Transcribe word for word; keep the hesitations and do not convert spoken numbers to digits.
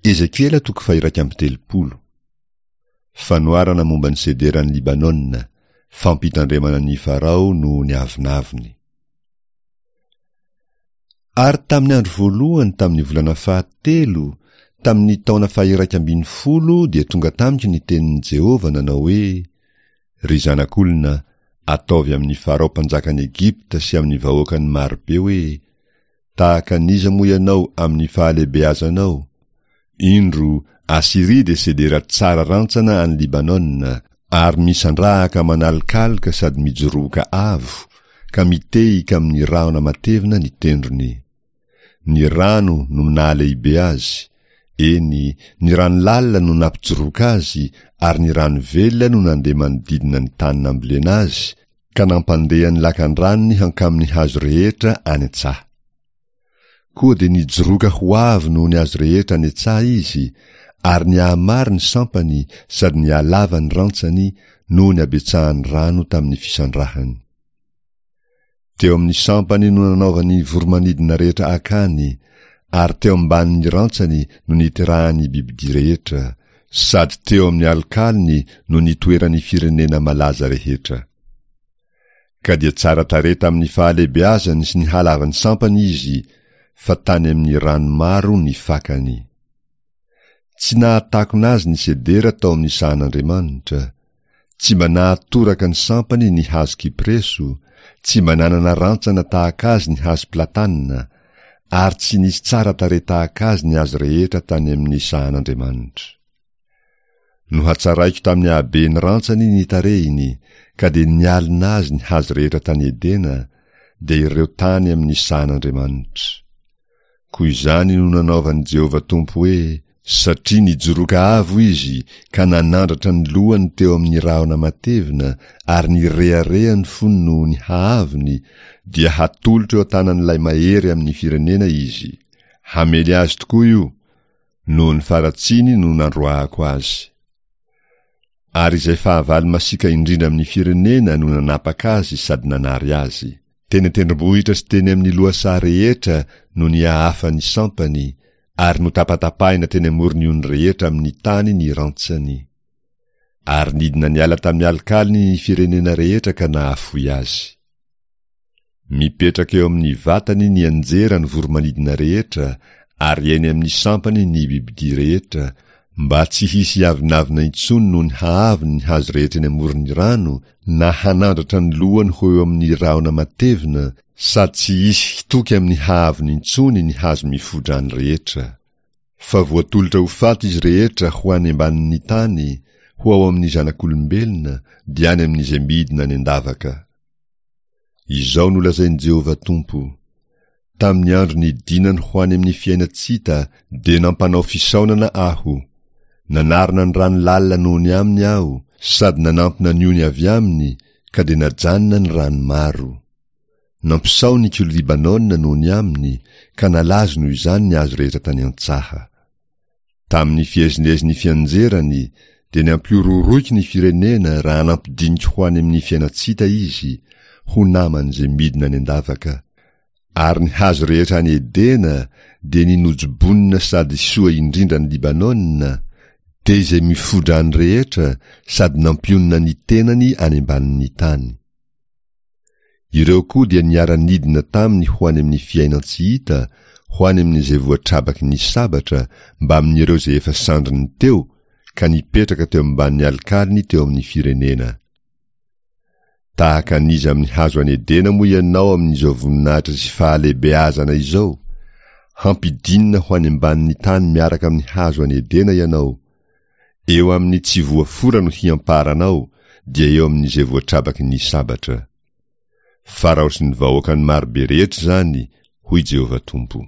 Ezekiela toko faha-iraika amby telopolo. Fanoharana momba ny sederan'i Libanona, fampitandremana an'i Farao noho ny avonavony. Ary tamin'ny andro voalohany tamin'ny volana fahatelo, tamin'ny taona faha-iraika ambin'ny folo dia tonga tamiko ny tenin'i Jehovah nanao hoe, Ry zanak'olona, ataovy amin'i Farao mpanjakan'i Egypta sy amin'ny vahoakany marobe hoe, Tahaka an'iza moa ianao amin'ny fahalehibeazanao? Indro, Asyria dia sedera tsara rantsana any Libanona, ary misandrahaka manalokaloka sady mijoroka avo, ka mitehika amin'ny rahona matevina ny tendrony. Ny rano no nahalehibe azy, eny, ny rano lalina no nampijoroka azy, ary ny rano velona no nandeha manodidina ny tany nambolena azy, ka nampandeha ny lakan-dranony hankamin'ny hazo rehetra any an-tsaha. Koa dia nijoroka ho avo noho ny hazo rehetra any an-tsaha izy, ary nihamaro ny sampany sady nihalava ny rantsany noho ny habetsahan'ny rano tamin'ny fisandrahany. Teo amin'ny sampany no nanaovan'ny voro-manidina rehetra akany, ary teo ambanin'ny rantsany no niterahan'ny bibidia rehetra, sady teo amin'ny alokalony no nitoeran'ny firenena malaza rehetra. Ka dia tsara tarehy tamin'ny fahalehibeazany sy ny halavan'ny sampany izy, fa tany amin'ny rano maro ny fakany. Tsy nahatakona azy ny sedera tao amin'ny sahan'Andriamanitra, tsy mba nahatoraka ny sampany ny hazo kypreso, tsy mba nanana rantsana tahaka azy ny hazo platana, ary tsy nisy tsara tarehy tahaka azy ny hazo rehetra tany amin'ny sahan'Andriamanitra. Nohatsaraiko tamin'ny haben'ny rantsany ny tarehiny, ka dia nialona azy ny hazo rehetra tany Edena, dia ireo tany amin'ny sahan'Andriamanitra. Koa izany no nanaovan'i Jehovah Tompo hoe, Satria nijoroka avo izy ka nanandratra ny lohany teo amin'ny rahona matevina ary nirehareha ny fony noho ny haavony, dia hatolotro eo an-tanan'ilay mahery amin'ny firenena izy. Hamely azy tokoa io, noho ny faharatsiany no nandroahako azy. Ary izay fahavalo masiaka indrindra amin'ny firenena no nanapaka azy sady nanary azy. Teny an-tendrombohitra sy teny amin'ny lohasaha rehetra no nihahafan'ny sampany, ary notapatapahina teny amoron'ny ony rehetra amin'ny tany ny rantsany. Ary nidina niala tamin'ny alokalony ny firenena rehetra ka nahafoy azy. Mipetraka eo amin'ny vatany nianjera ny voro-manidina rehetra ary eny amin'ny sampany ny bibidia rehetra, mba tsy hisy hiavonavona intsony noho ny haavony ny hazo rehetra eny amoron'ny rano na hanandratra ny lohany ho eo amin'ny rahona matevina, sady tsy hisy hitoky amin'ny haavony intsony ny hazo mifodrano rehetra. Fa voatolotra ho faty izy rehetra ho any ambanin'ny tany, ho ao amin'ny zanak'olombelona, dia any amin'izay midina any an-davaka. Izao no lazain'i Jehovah Tompo, Tamin'ny andro nidinany ho any amin'ny fiainan-tsy hita dia nampanao fisaonana aho. Nanarona ny rano lalina noho ny aminy aho, sady nanampina ny ony avy aminy, ka dia najanona ny rano maro. Nampisaoniko Libanona noho ny aminy, ka nalazo noho izany ny hazo rehetra tany an-tsaha. Tamin'ny fiezinezin'ny fianjerany dia nampihorohoroiko ny firenena raha nampidiniko ho any amin'ny fiainan-tsy hita izy, ho naman'izay midina any an-davaka. Ary ny hazo rehetra any Edena dia ny nojobonina sady soa indrindra any Libanona, dia izay mifodrano rehetra sady nampionona ny tenany any ambanin'ny tany. Ireo koa dia niara-nidina taminy ho any amin'ny fiainan-tsy hita, ho any amin'izay voatrabaky ny sabatra, mbamin'ireo izay efa sandriny teo, ka nipetraka teo ambanin'ny alokalony teo amin'ny firenena. Tahaka an'iza amin'ny hazo any Edena moa ianao amin'izao voninahitra sy fahalehibeazana izao? Hampidinina ho any ambanin'ny tany miaraka amin'ny hazo any Edena ianao. Eo amin'ny tsy voafora no hiamparanao, dia eo amin'izay voatrabaky ny sabatra. Farao sy ny vahoakany marobe rehetra izany, hoy Jehovah Tompo.